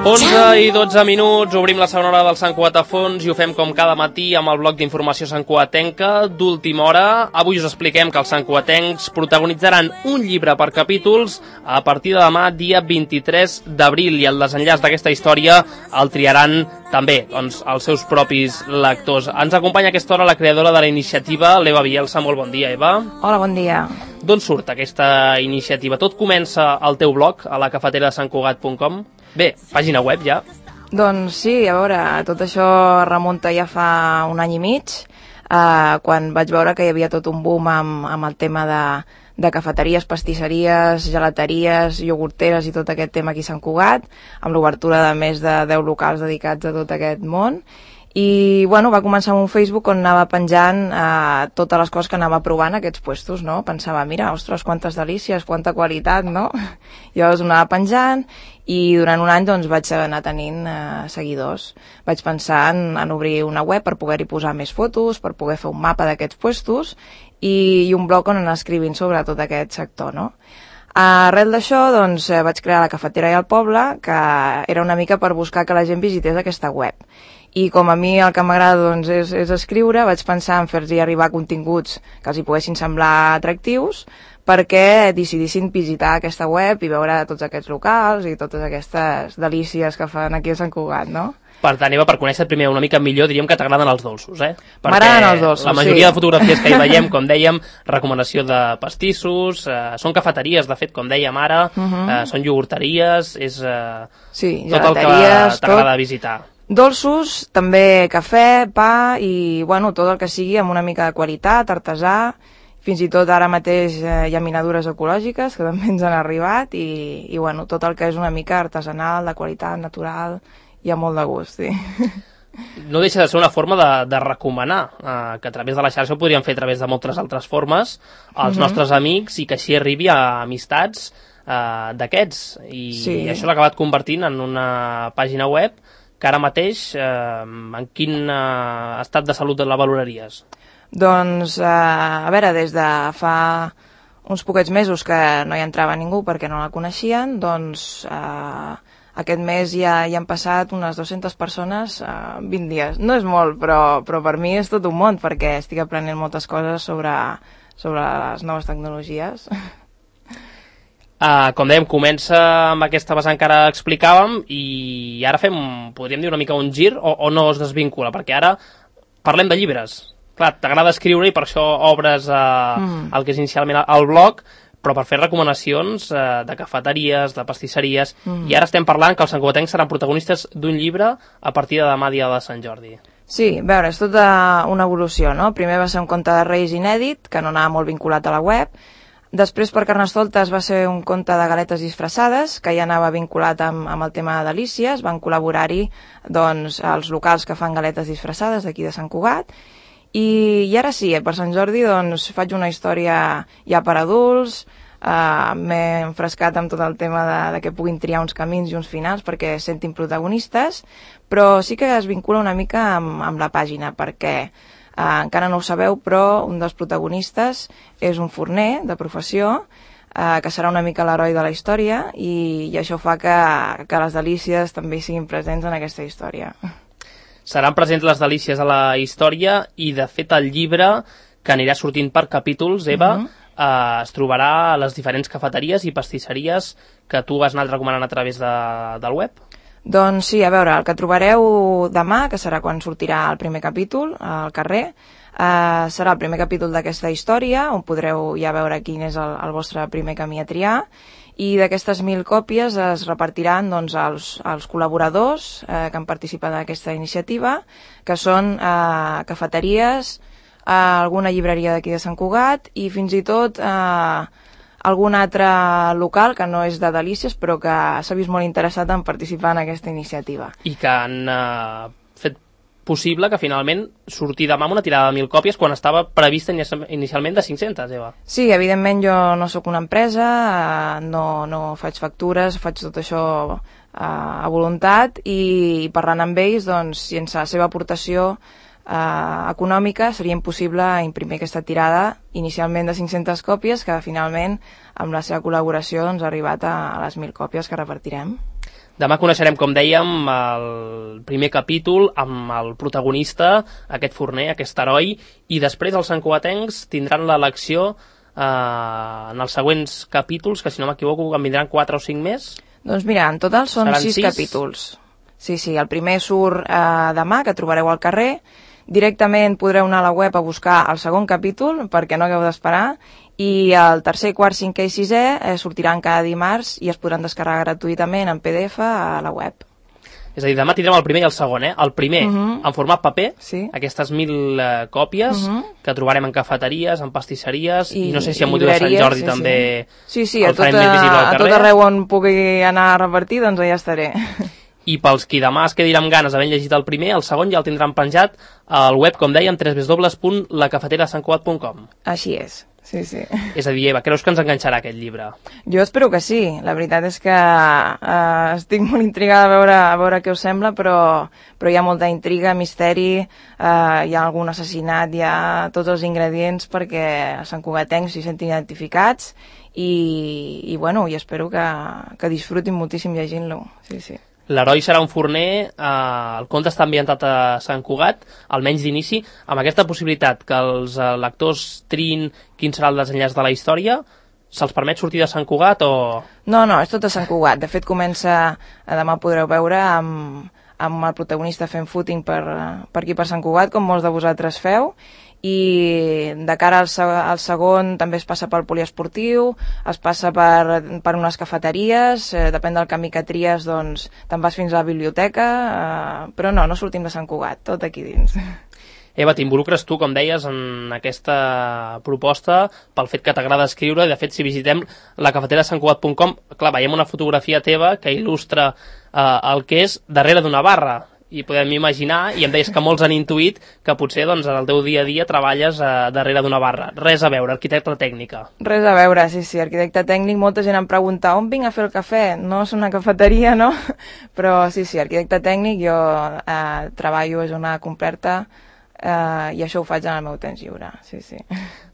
11 i 12 minuts, obrim la segona hora del Sant Cugat a fons i ho fem com cada matí amb el bloc d'informació santcugatenca d'última hora. Avui us expliquem que els santcugatencs protagonitzaran un llibre per capítols a partir de demà, dia 23 d'abril, i el desenllaç d'aquesta història el triaran també els seus propis lectors. Ens acompanya a aquesta hora la creadora de la iniciativa, l'Eva Bielsa. Molt bon dia, Eva. Hola, bon dia. D'on surt aquesta iniciativa? Tot comença al teu blog, a la cafetera de santcugat.com. Bé, pàgina web ja. Doncs sí, a veure, tot això remunta ja fa un any i mig, quan vaig veure que hi havia tot un boom amb el tema de cafeteries, pastisseries, gelateries, iogurteres i tot aquest tema aquí a Sant Cugat, amb l'obertura de més de 10 locals dedicats a tot aquest món. I bueno, va començar amb un Facebook on anava penjant totes les coses que anava provant aquests puestos, no? Pensava, mira, ostres, quantes delícies, quanta qualitat, no? Llavors ho anava penjant i durant un any doncs vaig anar tenint seguidors. Vaig pensar en obrir una web per poder-hi posar més fotos, per poder fer un mapa d'aquests puestos i un blog on anar escrivint sobre tot aquest sector, no? Arrel d'això, doncs, vaig crear la Cafetera i el Poble, que era una mica per buscar que la gent visités aquesta web. I com a mi el que m'agrada doncs, és escriure, vaig pensar en fer-los arribar continguts que els hi poguessin semblar atractius perquè decidissin visitar aquesta web i veure tots aquests locals i totes aquestes delícies que fan aquí a Sant Cugat, no? Per tant, Eva, per conèixer primer una mica millor, diríem que t'agraden els dolços, eh? M'agraden els dolços, sí. La majoria de fotografies que hi veiem, com dèiem, recomanació de pastissos, són cafeteries, de fet, com dèiem ara, són iogurteries, és sí, tot el que t'agrada visitar. Dolços, també cafè, pa i, bueno, tot el que sigui amb una mica de qualitat, artesà. Fins i tot ara mateix hi ha minadures ecològiques que també ens han arribat i bueno, tot el que és una mica artesanal, de qualitat, natural, hi ha molt de gust, sí. No deixa de ser una forma de recomanar, que a través de la xarxa ho podríem fer a través de moltes altres formes, als nostres amics i que així arribi a amistats d'aquests. I sí. Això l'ha acabat convertint en una pàgina web que ara mateix, en quin estat de salut la valoraries? Doncs, a veure, des de fa uns poquets mesos que no hi entrava ningú perquè no la coneixien, doncs aquest mes ja hi han passat unes 200 persones 20 dies. No és molt, però per mi és tot un món perquè estic aprenent moltes coses sobre les noves tecnologies. Com dèiem, comença amb aquesta vessant que ara explicàvem i ara fem, podríem dir, una mica un gir o no es desvincula, perquè ara parlem de llibres. Clar, t'agrada escriure i per això obres el que és inicialment el blog, però per fer recomanacions de cafeteries, de pastisseries, i ara estem parlant que els santcugatencs seran protagonistes d'un llibre a partir de demà, dia de Sant Jordi. Sí, a veure, és tota una evolució, no? Primer va ser un conte de Reis inèdit, que no anava molt vinculat a la web. Després, per Carnestoltes, va ser un conte de galetes disfressades, que ja anava vinculat amb el tema de delícies. Van col·laborar-hi doncs, els locals que fan galetes disfressades d'aquí de Sant Cugat. I ara sí, per Sant Jordi doncs, faig una història ja per adults, m'he enfrescat amb tot el tema de que puguin triar uns camins i uns finals perquè es sentin protagonistes, però sí que es vincula una mica amb la pàgina, perquè encara no ho sabeu, però un dels protagonistes és un forner de professió, que serà una mica l'heroi de la història, i això fa que les delícies també siguin presents en aquesta història. Seran presents les delícies a la història i, de fet, el llibre, que anirà sortint per capítols, Eva, es trobarà a les diferents cafeteries i pastisseries que tu vas anar recomanant a través del web? Doncs sí, a veure, el que trobareu demà, que serà quan sortirà el primer capítol al carrer, serà el primer capítol d'aquesta història, on podreu ja veure quin és el vostre primer camí a triar, i d'aquestes 1.000 còpies es repartiran doncs, als col·laboradors que han participat en aquesta iniciativa, que són cafeteries, alguna llibreria d'aquí de Sant Cugat i fins i tot algun altre local que no és de delícies però que s'ha vist molt interessat en participar en aquesta iniciativa. I que han fet possible que finalment surti demà amb una tirada de 1.000 còpies quan estava prevista inicialment de 500, Eva. Sí, evidentment jo no sóc una empresa, no faig factures, faig tot això a voluntat i parlant amb ells, doncs, sense la seva aportació econòmica, seria impossible imprimir aquesta tirada inicialment de 500 còpies, que finalment amb la seva col·laboració ha arribat a les 1.000 còpies que repartirem. Demà coneixerem, com dèiem, el primer capítol amb el protagonista, aquest forner, aquest heroi, i després els santcugatencs tindran l'elecció en els següents capítols, que si no m'equivoco en vindran 4 o 5 més. Doncs mira, en total són 6 capítols. Sí, el primer surt demà, que trobareu al carrer. Directament podreu anar a la web a buscar el segon capítol, perquè no hagueu d'esperar, i el tercer, quart, cinquè i sisè sortiran cada dimarts i es podran descarregar gratuïtament en PDF a la web. És a dir, demà tindrem el primer i el segon, El primer en format paper, aquestes 1.000 còpies que trobarem en cafeteries, en pastisseries, i no sé si amb motiu de Sant Jordi també el farem més visible al carrer. A tot arreu on pugui anar a repartir, doncs allà estaré. I pels qui demà es quedi amb ganes d'haver llegit el primer, el segon ja el tindran penjat al web, com dèiem, www.lacafeterasantcugat.com. Així és. Sí. És a dir, Eva, creus que ens enganxarà aquest llibre? Jo espero que sí. La veritat és que estic molt intrigada a veure què us sembla, però hi ha molta intriga, misteri, hi ha algun assassinat, hi ha tots els ingredients perquè els santcugatencs s'hi sentin identificats i espero que disfrutin moltíssim llegint-lo. Sí. L'heroi serà un forner, el conte està ambientat a Sant Cugat, almenys d'inici, amb aquesta possibilitat que els lectors triïn quin serà el desenllaç de la història. Se'ls permet sortir de Sant Cugat o...? No, és tot a Sant Cugat. De fet, comença, demà podreu veure, amb el protagonista fent footing per aquí per Sant Cugat, com molts de vosaltres feu, i de cara al segon també es passa pel poliesportiu, es passa per unes cafeteries, depèn del camí que tries, doncs te'n vas fins a la biblioteca, però no sortim de Sant Cugat, tot aquí dins. Eva, t'involucres tu, com deies, en aquesta proposta pel fet que t'agrada escriure, i de fet si visitem lacafeterasantcugat.com, clar, veiem una fotografia teva que il·lustra el que és darrere d'una barra, i podem imaginar, i em deies que molts han intuït que potser doncs, en el teu dia a dia treballes darrere d'una barra. Res a veure, arquitecte tècnica. Res a veure, sí, arquitecte tècnic. Molta gent em pregunta on vinc a fer el cafè? No és una cafeteria, no? Però sí, arquitecte tècnic, jo treballo a jornada completa i això ho faig en el meu temps lliure, sí.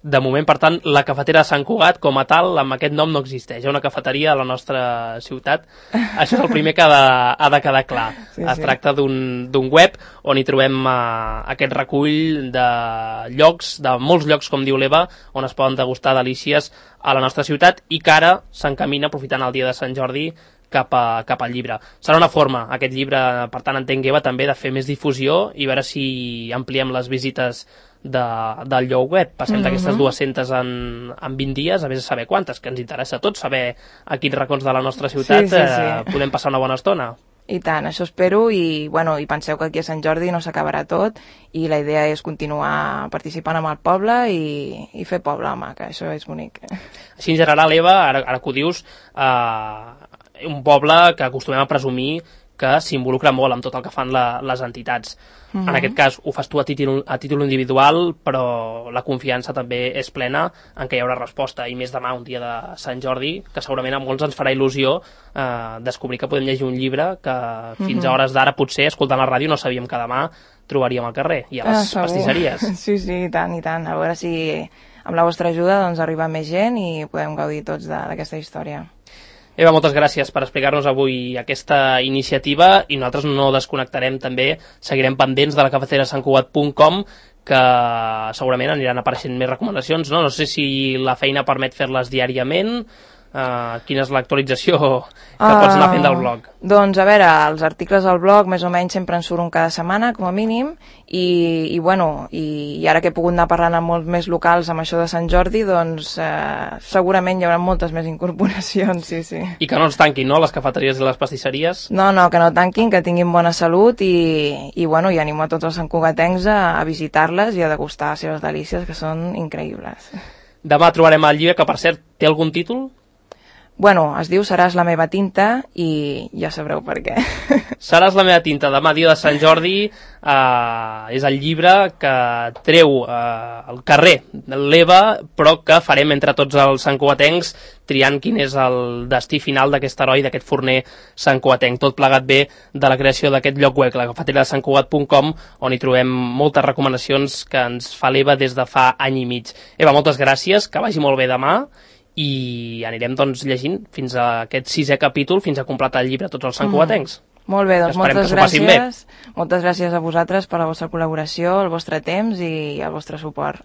De moment, per tant, la cafetera de Sant Cugat, com a tal, amb aquest nom no existeix. Hi ha una cafeteria a la nostra ciutat. Això és el primer que ha de quedar clar. Es tracta d'un web on hi trobem aquest recull de llocs, de molts llocs, com diu l'Eva, on es poden degustar delícies a la nostra ciutat i que ara s'encamina, aprofitant el dia de Sant Jordi, cap al llibre. Serà una forma, aquest llibre, per tant, entenc, Eva, també de fer més difusió i veure si ampliem les visites del lloc web. Passem d'aquestes 200 en 20 dies, a més de saber quantes, que ens interessa a tots saber a quins racons de la nostra ciutat podem passar una bona estona. I tant, això espero, i penseu que aquí a Sant Jordi no s'acabarà tot, i la idea és continuar participant amb el poble i fer poble, home, que això és bonic. Així en general, Eva, ara que ho dius, un poble que acostumem a presumir que s'involucra molt amb tot el que fan les entitats. En aquest cas ho fas tu a títol individual, però la confiança també és plena en què hi haurà resposta, i més demà, un dia de Sant Jordi, que segurament a molts ens farà il·lusió descobrir que podem llegir un llibre que fins a hores d'ara, potser, escoltant la ràdio, no sabíem que demà trobaríem al carrer i a les pastisseries. Sí, i tant. A veure si amb la vostra ajuda doncs arriba més gent i podem gaudir tots d'aquesta història. Eva, moltes gràcies per explicar-nos avui aquesta iniciativa, i nosaltres no desconnectarem també, seguirem pendents de la cafeterasantcugat.com, que segurament aniran apareixent més recomanacions, no? No sé si la feina permet fer-les diàriament. Quina és l'actualització que pots anar fent del blog? Doncs a veure, els articles al blog més o menys sempre en surt un cada setmana, com a mínim, i ara que he pogut anar parlant amb molts més locals amb això de Sant Jordi, doncs segurament hi haurà moltes més incorporacions, sí. I que no ens tanquin, no?, les cafeteries i les pastisseries? No, que no tanquin, que tinguin bona salut, i animo a tots els santcugatencs a visitar-les i a degustar les seves delícies, que són increïbles. Demà trobarem el llibre, que per cert té algun títol? Bueno, es diu Seràs la meva tinta i ja sabreu per què. Seràs la meva tinta, demà dia de Sant Jordi, és el llibre que treu al carrer l'Eva, però que farem entre tots els santcugatencs triant quin és el destí final d'aquest heroi, d'aquest forner santcugatenc. Tot plegat bé de la creació d'aquest lloc web, la cafetera de santcugat.com, on hi trobem moltes recomanacions que ens fa l'Eva des de fa any i mig. Eva, moltes gràcies, que vagi molt bé demà, i anirem doncs llegint fins a aquest 6è capítol, fins a completar el llibre tots els santcugatencs. Molt bé, doncs moltes gràcies. Moltes gràcies a vosaltres per la vostra col·laboració, el vostre temps i el vostre suport.